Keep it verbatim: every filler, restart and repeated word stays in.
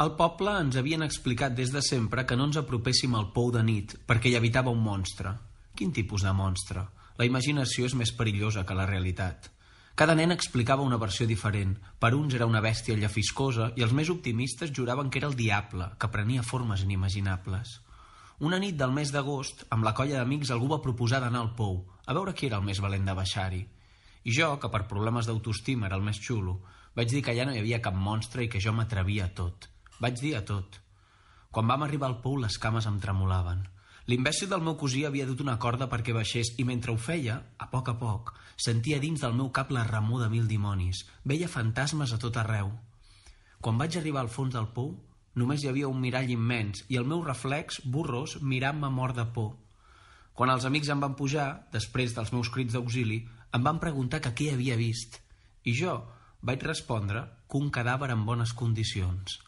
Al poble ens havien explicat des de sempre que no ens apropéssim al pou de nit perquè hi habitava un monstre. Quin tipus de monstre? La imaginació és més perillosa que la realitat. Cada nen explicava una versió diferent. Per uns era una bèstia llefiscosa i els més optimistes juraven que era el diable, que prenia formes inimaginables. Una nit del mes d'agost, amb la colla d'amics, algú va proposar d'anar al pou, a veure qui era el més valent de baixar-hi. I jo, que per problemes d'autoestima era el més xulo, vaig dir que allà no hi havia cap monstre i que jo m'atrevia a tot. Vaig dir a tot. Quan vam arribar al pou, les cames em tremolaven. L'imbècil del meu cosí havia dut una corda perquè baixés i mentre ho feia, a poc a poc, sentia dins del meu cap la remor de mil dimonis. Veia fantasmes a tot arreu. Quan vaig arribar al fons del pou, només hi havia un mirall immens i el meu reflex, borrós, mirant-me mort de por. Quan els amics em van pujar, després dels meus crits d'auxili, em van preguntar que què havia vist. I jo vaig respondre que un cadàver en bones condicions.